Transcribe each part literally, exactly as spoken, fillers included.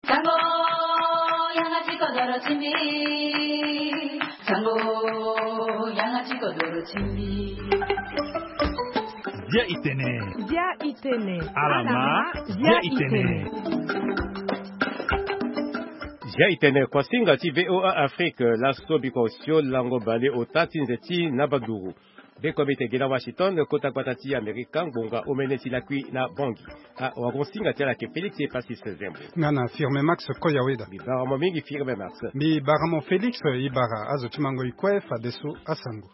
Sango, yanga ti kodoro ti mbi. Sango, yanga ti kodoro ti mbi. Dia itene. Dia itene. Alama. Dia itene. Dia itene, kuasinga ti V O A Afrique, laso biko sio lango bale ota ti nze ti na baduru. Beko mbi te gi na Washington, kota gbata ti Amerika, ngbonga omene ti lakui na Bangui. Ah, wagon singa ti ala ke Félix Epasis Zembo. Nga na Firme Max Koyaweda. Mbi bara mo mingi Firme Max. Mbi bara mo Félix, i bara azo ti mango i kue fadeso asango.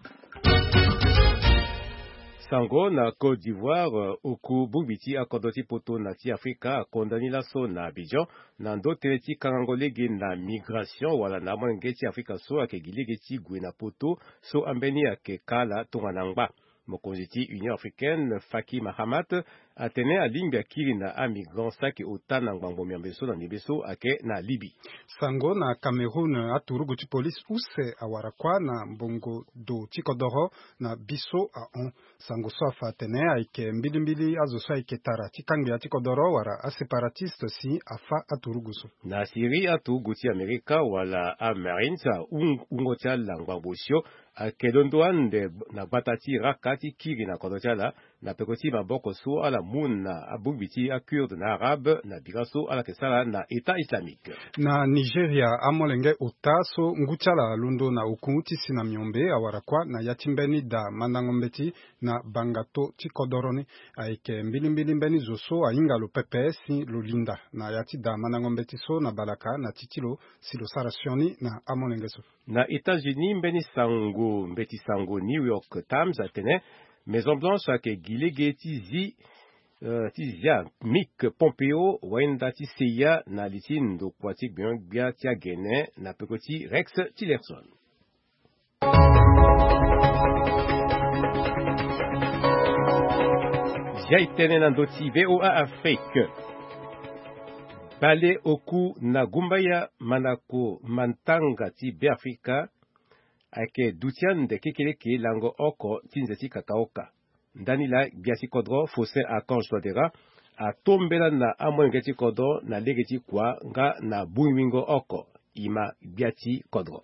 Sango na Côte d'Ivoire, oku bongbi ti akodro ti poto na ti Afrika akonda ni laso na Abidjan, na ndo tënë ti kangango lege na migration wala na amolenge ti Afrika so ayeke gi lege ti gue na poto, so ambeni ayeke ka ala tongana ngba. Mokonzi ti Union Africaine, Faki Mahamat, atene alingbi akiri na amigrant so ayeke ota na ngbangbo miambe so na ndembe so ayeke na Libye. Sango na Cameroun, aturugu ti polise use awara kuâ na mbongo do ti kodoro na biso ahon. Sango so afa atene ayeke mbilimbili azo so ayeke tara ti kangbia ti kodoro wala aséparatiste si afa aturugu so. Na Syrie, aturugu ti Amerika wala amarines ahun-, hungo ti ala ngbangbo osio ayeke londo ande na gbata ti Raqqa ti kiri na kodro ti ala, na peko ti maboko so ala mu na abongbi ti aKurde na Arabe na bira so ala yeke sara na État islamique. Na Nigeria, amolenge ota so ngu ti ala alondo na oku ti si na miombe awara kuâ na ya ti mbeni da mandango mbeti na bangato ti kodoro ni. Ayeke mbilimbili mbeni zo so ahinga lo pepe si lo linda na ya ti da mandango mbeti so na balaka na ti ti lo si lo sara sioni na amolenge so. Na États-Unis, mbeni sango, mbeti sango New York Times atene Maison Blanche ayeke gi lege ti zi, eh, ti zia Mike Pompeo, wainda ti C I A, na li ti ndokua ti gbenyo-gbia ti agene na peko ti Rex Tillerson. Zia e tënë na ndö ti V O A Afrique. Bale oku na gumbaya manako matanga ti Beafrika ayeke duti ande kekereke lango oko ti nze ti kakaoka. Ndani laa gbia ti kodro Faustin Archange Touadéra atombela na amolenge ti kodro na lege ti kua nga na bongbi-wingo oko. E ma gbia ti kodro.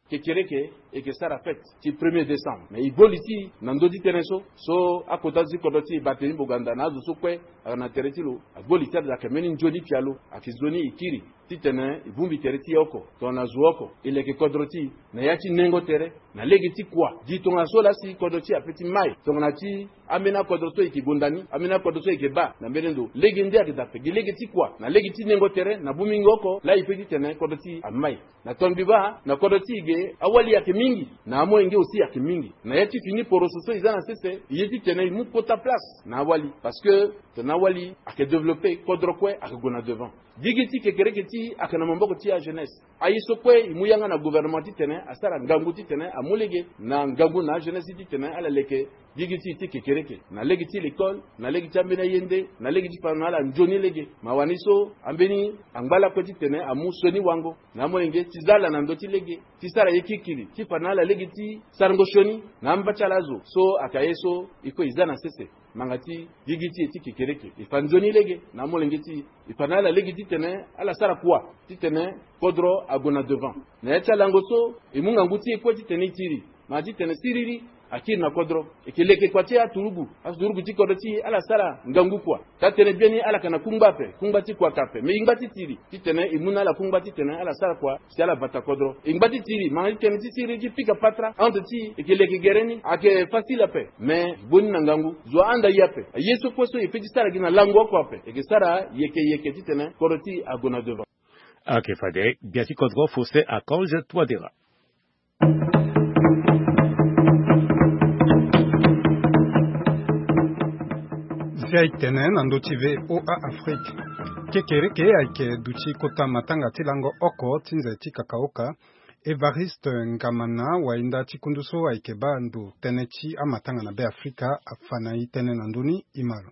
Kekereke e yeke sara fête ti premier décembre. Mais e gbo li ti e na ndö ti tënë so, so akota ti kodro ti e Barthélemy Boganda na azo so kue ayeke na tere ti lo, agbo li ti ala ayeke mbeni nzoni pialo, ayeke nzoni e kiri titene e bongbi tere ti e oko, tongana zo oko, e leke kodro ti e na ya ti nengo tere, na lege ti kua, gi tongana so laa si kodro ti e ape ti mai, tongana ti ambeni akodro so e yeke gonda ni, ambeni akodro so e yeke baa na mbeni ndo. Lege nde ayeke daa ape, gi lege ti kua, na lege ti nengo tere, na bongbi-wingo oko, laa e peut titene kodro ti e amai. Na tongaso mbi baa, na kodro ti e ge, awali ayeke mingi, na amolenge aussi ayeke mingi. Na ya ti fini poroso so e za na sese, e ye titene e mu kota place na awali. Parce que tongana awali ayeke développé, kodro kue ayeke gue na devant. Gigi ti kekereke ti e ayeke na maboko ti ajeunesse. Aye so kue e mu yanga na gouvernement titene asara ngangu titene amu lege na ngangu na ajeunesse titene ala leke gigi ti e ti kekereke, na lege ti l'école, na lege ti ambeni aye nde, na lege ti fa na ala nzoni lege. Mawa ni so ambeni angba lakue titene amu sioni wango na amolenge ti za ala na ndö ti lege, ti sara ye kirikiri ti fa na ala lege ti sarango sioni na amba ti ala azo. So ayeke aye so e kue e za na sese. Ngbanga ti gigi ti e ti kekereke, e fa nzoni lege na amolenge ti e, e fa na ala lege titene ala sara kua titene kodro ague na devant. Na ya ti alango so, e mu ngangu ti e kue titene e tiri, ngbanga titene siriri akiri na kodro. E yeke leke kua ti aturugu, aturugu ti kodro ti e ala sara ngangu kua. Taa-tënë biani ala yeke na kungba ape, kungba ti kua ayeke ape. Me e ngba ti tiri titene e mu na ala kungba titene ala sara kua si ala bata kodro. E ngba ti tiri, ngbanga ti tënë ti siriri ti pika patara entre ti e, e yeke leke gere ni ayeke facile ape. Me boni na ngangu, zo ahanda e ape. Aye so kue so e peut ti sara gi na lango oko ape, e yeke sara yeke yeke titene kodro ti e ague na devant. Ayeke fade gbia ti kodro Faustin Archange Touadéra. Zia e tene na ndö ti V O A Afrique. Kekereke ayeke duti kota matanga ti lango oko ti nze ti kakaoka. Évariste Ngamana, wainda ti kundu so ayeke baa ndo tënë ti amatanga na Beafrika, afa na e tënë na ndö ni, e ma lo.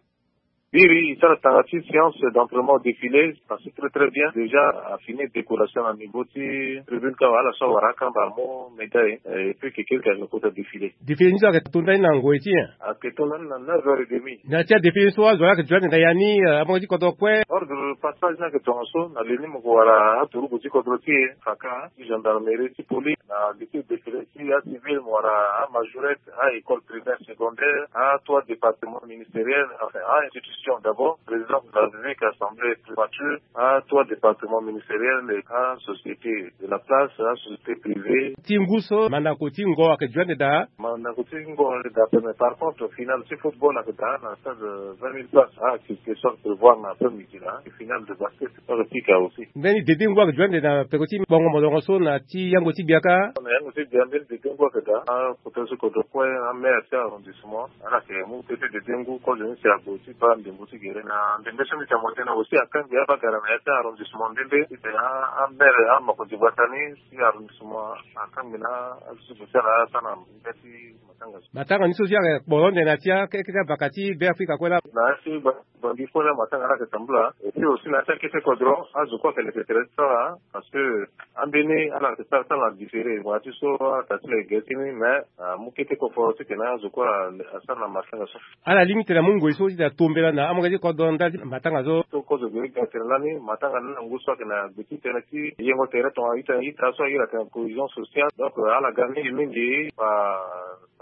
Biri e sara tanga ti séance d'entraînement au défilé, passé très très bien. Déjà a fini décoration na niveau ti tribune ka, wala so awara akamba amu médaille. Et puis keke ayeke kota défilé. Défilé ni so ayeke to ndani na ngoi ti nyen? Ayeke to ndani na neuf heures et demie. Na ti adéfilé ni so azo ayeke joindre na ya ni, amonge ti kodro kue? Ordre passage ni ayeke tongaso, na leni mo ko wara aturugu ti kodro ti e, faka ti gendarmerie ti police, na lise défilé ti acivil, mo wara amajorette, a école primaire, secondaire, a trois départements ministériels, enfin a institution d'abord, présidence de la République, assemblée, primature, a trois départements ministériels, a société de la place, a société privée. Ti ngu so mandako ti ngo ayeke joindre daa? Mandako ti ngo ayeke daa pe, mais par contre finale ti football ayeke daa na stade vingt mille places, a activité so ayeke prévoir na après midi na finale de basket so ayeke pika aussi. Mbeni dede ngu ayeke joindre na peko ti bongo molongo so na ti yango ti gbia kâ? Na yango ti gbia mbeni dede ngu ayeke daa. Akota so kodro kue, amaire ti arrondissement, ala yeke mu kete dede ngu kozo ni si ague ti baa ndembo ti gere na ndembe so mbi ti amote na aussi akangbi abagara na ya ti arrondissement ndende ti tene amaire, amakonzi gbata ni ti arrondissement akangbi na azo ti gue ti ala asara na ya ti matanga so. Matanga ni so si ayeke kporo ande na ya ti akete abaka ti Beafrika kue laa? Na ya ti Bangui kue laa matanga ni ayeke tambula. Et puis aussi na ya ti akete kodro azo kue ayeke leke tere ti sara, parce que ambeni ala yeke sara ti ala na différé, wala ti so ala tara ti lo yeke gere ti ni, mais amu kete koforo ti tene azo kue asara na matanga so. Ala lingbi tene amu ngoi so ti tene atombela na amonge ti kodro ndali ti matanga so. So kozo gere ga tene lani matanga ni na ngu so ayeke na gbe ti tënë ti yengo tere tongana ita, ita so airi atene cohésion sociale. Donc ala ga mingi mingi ba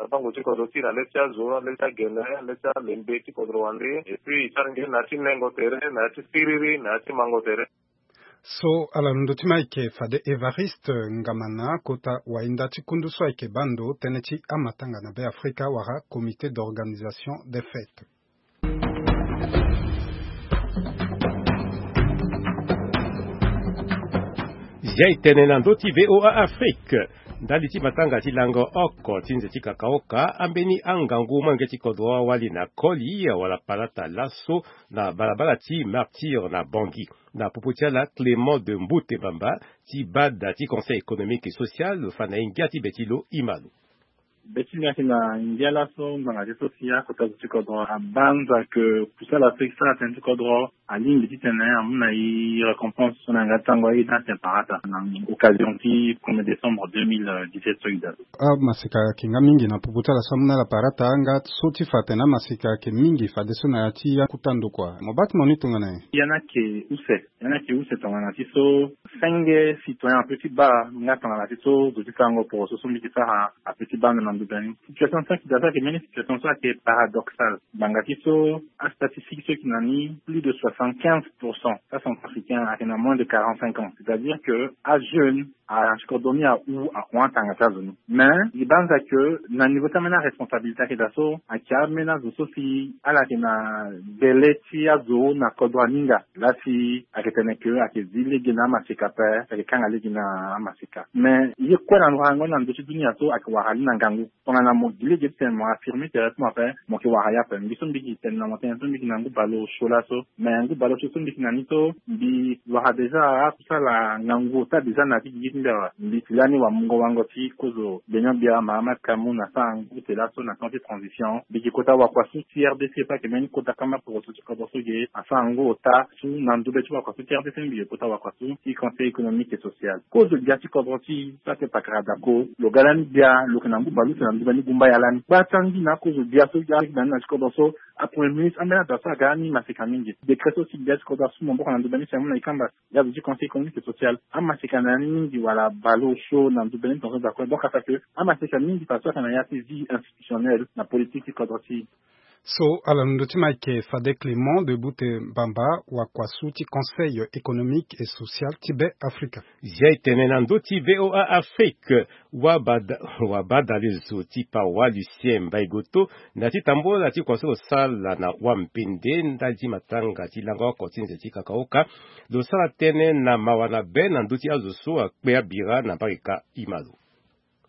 bango ti kodro ti na le ti azo, le ti agene, le ti alembe ti kodro wande. Et puis e sara nge na ya ti nengo tere, na ya ti siriri, na ya ti mango tere. So ala londo ti ma ayeke fade Évariste Ngamana, kota wahinda ti kundu so ayeke baa ndo tënë ti amatanga na Beafrika wala Comité d'organisation des fêtes. Zia e tene na ndö ti V O A Afrique. Ndali ti matanga ti lango oko ti nze ti kakaoka, ambeni angangu molenge ti kodro awali na koli wala palata laso na balabala ti Martyr na Bangui. Na popo ti ala, Clément de Mbote Bamba ti bada ti Conseil économique et social lo fa na e ngia ti be ti lo, e ma lo. Be ti mbi ayeke na ngia laso ngbanga ti so si akota zo ti kodro abanza ke kusala so e sara tënë ti kodro alingbi ti tene amu na e récompense so na yanga ti tango aye ti atene parata na occasion ti premier décembre deux mille dix-sept so e daa. Amaseka ayeke nga mingi na popo ti ala so amu na ala parata, nga so ti fa atene amaseka ayeke mingi fadeso na ya ti akota ndokua. Mo baa ti mo ni tongana nyen? Ya ni ayeke use. Ya ni ayeke use tongana ti so senge citoyen ape ti baa nga tongana ti so zo ti sarango poroso so mbi yeke sara ape ti baa ndo na nduta ni. Situation so ayeke daa so ayeke mbeni situation so ayeke paradoxale. Ngbanga ti so astatistique so e yeke na ni, plus de soixante-quinze pour cent ti acentrafricain ayeke na moins de quarante-cinq ans. C'est-à-dire que ajeune, a, si kodro ni ahu, ahon atanga ti azo ni. Mais e banza ke na niveau ti ambeni aresponsabilité ayeke daa so, ayeke ambeni azo so si ala yeke na bele ti azo na kodro aninga. Laa si ayeke tene ke ayeke zi lege na amaseka ape, ayeke kanga lege na amaseka. Mais ye kue na ndokua yango ni na ndö ti dunia so ayeke wara li na ngangu. Tongana mo gi lege ti tene mo affirmer tere ti mo ape, mo yeke wara ye ape. Mbi so mbi yeke tene na mo tënë so mbi yeke na ngu baleosio laso. Mais ngu baleosio so mbi yeke na ni so, mbi wara déjà akusala ngangu ota déjà na ya ti gigi ti mbi awe. Mbi si lani wamungo wango ti kozo gbenion-gbia Mahamat Kamoun asara ngu ute laso na temps ti transition. Mbi yeke kota wakua so ti R D C so ayeke mbeni kota kamba poroso ti kodro so ge asara ngu ota so na ndobe ti wakua so ti R D C mbi yeke kota wakua so ti Conseil économique et social. Kozo gbia ti kodro ti so ayeke pakara Dako, lo ga lani gbia, lo yeke na ngu baleuse na ndobe ni gumba ya lani. Gba ti angi na akozo gbia so ga lani na ti kodro so, apremier ministre ambeni ado so aga ni maseka mingi. Décret so si gbia ti kodro asu maboko na ndobe ni si amu na e kamba. Ya zo ti Conseil économique et social amaseka na ya ni mingi wala baleosio na ndobe ni tongaso daa kue. Donc asa ke amaseka mingi fadeso ayeke na ya ti vie institutionnelle na politique ti kodro ti e. So ala londo ti ma ayeke fade Clément de Mbote Bamba, wakua so ti Conseil économique et social ti Beafrika. Zia e tene na ndö ti V O A Afrique. Wabada, wabadalezo ti pawa Lucien Mbaye Goto, na ti tambola ti kua so lo sala na wambende ndali ti matanga ti lango oko ti nze ti kakaoka, lo sara tënë na mawa na be na ndö ti azo so akpe abira na mbarika, e ma lo.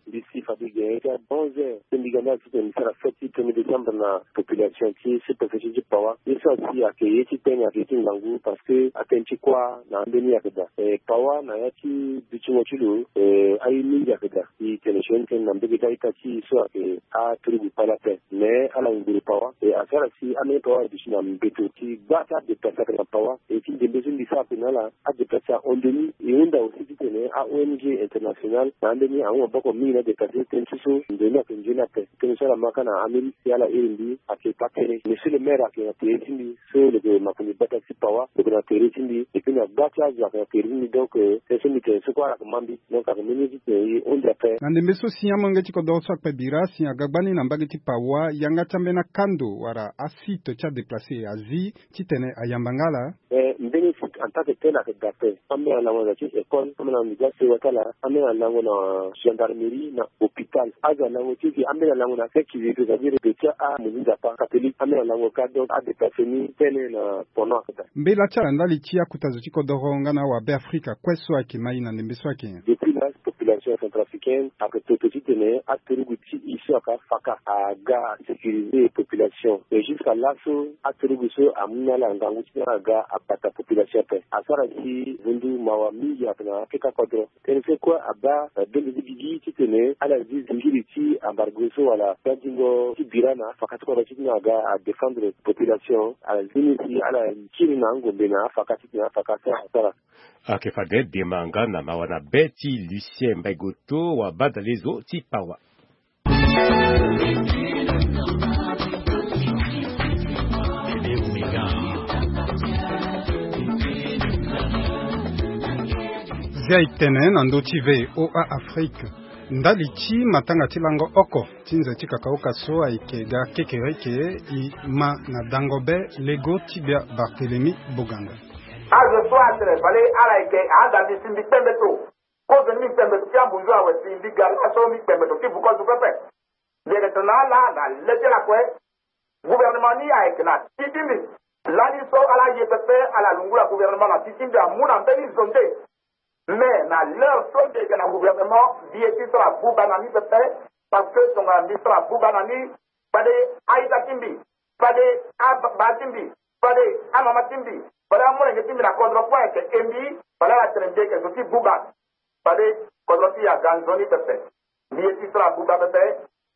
Mbi si fade ge ti abonze so mbi ga ni ala titene mbi sara fête ti premier décembre na population ti sous-préfecture ti Paoua. Ye so asi ayeke ye ti tene, ayeke ye ti ngangu parce que atene ti kuâ na ambeni ayeke daa. E, Paoua na ya ti dutingo ti lo, e, aye mingi ayeke daa. E tene sioni tënë na mbege ti a-ita ti e so ayeke aturugu kpale ape. Mais ala nguru Paoua e asara si ambeni Paoua aduti na mbeto ti gba ti adéplace ayeke na Paoua. E ti ndembe so mbi sara ape na ala, adéplace ahon ndoni. E hunda aussi titene a-O N G internationale na ambeni ahon maboko mingi na adéplace tënë ti so ndoni ayeke nzoni ape. Tënë so ala ma kâ na ambeni si ala iri mbi ayeke pâ tere. Monsieur le maire ayeke na tere ti mbi so lo yeke makonzi gbata ti Paoua, lo yeke na tere ti mbi. Et puis na gba ti azo ayeke na tere ti mbi. Donc, euh, tënë so mbi tene so kue ala yeke ma mbi. Donc ayeke mbeni ye ti tene e hunda ape. Na ndembe so si amolenge ti kodoro so akpe bira si aga gbani na mbage ti Paoua, yanga ti ambeni akando wala asite ti adéplace azi titene ayamba nga ala. Eh, mbeni site en tant que tel ayeke daa ape. Ambeni alango na ya ti école, ambeni alango na ya ti sewa ti ala, ambeni alango na gendarmerie na hôpital. Azo alango ti e, ambeni alango na seki, c'est-à-dire de ti amozi nzapa catholique, ambeni alango kâ. Donc adéplace ni tënë na pono ayeke daa. Mbela ti ala ndali ti akota zo ti kodoro nga na awabe Afrika kue so ayeke ma e na ndembe so ayeke nyen? Depuis là, population centrafricaine ayeke toto titene aturugu ti e so ayeke afaka aga asécuriser population. Mais jusqu'à laso aturugu so amu na ala ngangu titene aga abata population ape. Asara si vundu mawa mingi ayeke na akeka kodro. Tënë so kue abaa, eh, bendo ti gigi titene ala zi zingiri ti embargo so wala gbadingo ti bira na afaka ti kodro titene aga adéfendre population. Ala zi ni si ala kiri na angombe na afaka titene afaka so asara. Ayeke fade dema nga na mawa na be ti Lucien Mbaye Goto wa badalezo ti Paoua. Zia e tene na ndö ti V O A Afrique. Ndali ti matanga ti lango oko ti nze ti kakaoka so ayeke ga kekereke, e ma na dango be lego ti gbia Barthélemy Boganda. Azo so atene fade ala yeke ahanda mbi si mbi kpembe so. Kozo ni mbi kpembe so ti ambunzu awe si mbi ga laso mbi kpembe so ti vuko zo pepe. Mbi yeke tene na ala na le ti ala kue. Gouvernement ni ayeke na ti ti mbi. Lani so ala ye pepe ala lungula gouvernement na ti ti mbi amu na mbeni zo nde. Mais na l'heure so mbi yeke na gouvernement, mbi ye ti sara buba na ni pepe. Parce que tongana mbi sara buba na ni, fade a-ita ti mbi, fade ababa ti mbi, fade amama ti mbi, fade amolenge ti mbi na kodro kue ayeke e mbi, fade ala tene mbi yeke zo ti buba. Fade kodro ti e aga nzoni pepe. Mbi ye ti sara buba pepe.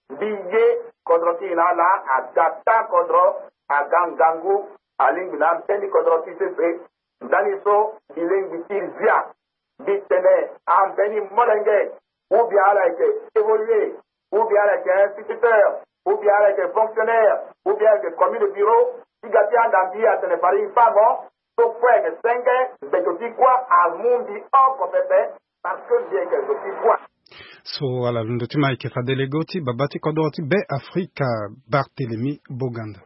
Mbi ye kodro ti e na ala aga taa kodro, aga ngangu, alingbi na ambeni kodro ti sese. Ndani so mbi lingbi ti zia. Mbi tene ambeni molenge, ou bien ala yeke évoluer, ou bien ala yeke instituteur, ou bien ala yeke fonctionnaire, ou bien ala yeke commis de bureau, ti ga ti handa mbi atene fade e fango so kue ayeke senge mbeto ti kuâ amu mbi oko pepe. Parce que mbi yeke zo ti kuâ. So ala londo ti ma ayeke fade lego ti baba ti kodro ti Be Afrika, Barthélemy Boganda.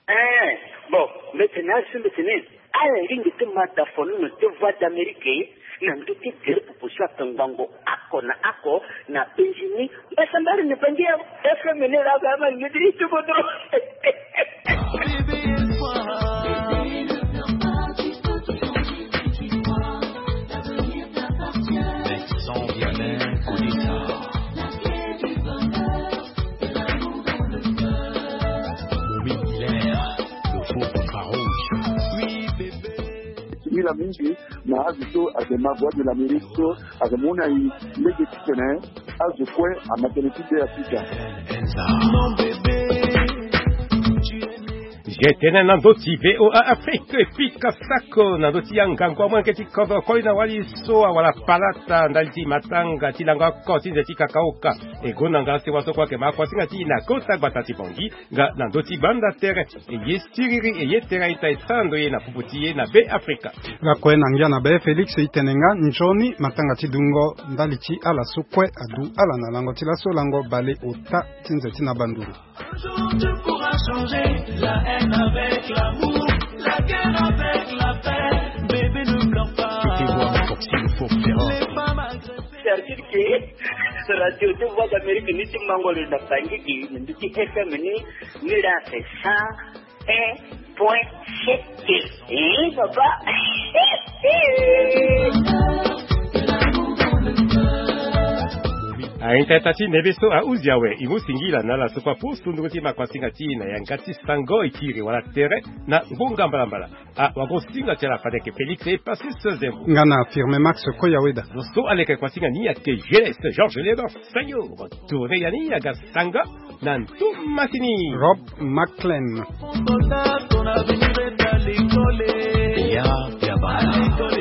Eh, bon, mbi tene asi mbi tene ala ringi ti ma da fono na ti Voix d'Amérique na ndö ti gere popo so ayeke ngbongo oko na oko na penzi ni. Mbasambara ni bangi ya F M ni la ba ma ni ti kodro. Sans rien connaître. Momi Hilaire, le faux contrat rouge. Oui, bébé. Mila mingi na azo so ayeke ma Voix de l'Amérique so ayeke mu na e lege titene azo kue ama tënë ti Be Afrika. Enza. Mon bébé. Ge tënë na ndö ti V O A Afrique, e pika sako na ndö ti angangu amolenge ti kodro koli na wali so awara palata ndali ti matanga ti lango oko ti nze ti kakaoka. E gonda nga sewa so kue ayeke ma akuasinga ti e na kota gbata ti Bangui nga na ndö ti banda tere. E ye siriri, e ye tere a-ita e sara ndo ye na popo ti e na Be Afrika. Lakue na ngia na be Félix e tene nga nzoni matanga ti dungo ndali ti ala so kue adu ala na lango ti laso lango bale ota ti nze ti na banduru. Un jour tu pourras changer la haine avec l'amour, la guerre avec la paix. Bébé, ne pleure pas. Tu te vois renforcer le fort féroce. Les femmes agressées. C'est-à-dire que radio ti Voix d'Amérique ni ti mango lo na Bangui gi, ni ti F M ni, ni la c'est cent un point sept. Eh, papa. A Intata ti nebe so ahuzi awe, e mu singila na ala so kue apusu ndungu ti makuasinga ti e na yanga ti sango, e kiri wala tere na ngonga mbalambala. Awagosinga ti ala fade yeke Félix Epasis Zembo. Nga na Firme Max Koyaweda. Lo so aleke kuasinga ni ayeke G S Georges Léonard Sayo. Tourné ya ni aga sanga na ntu masini. Rob Maclean. Ya, ya bana.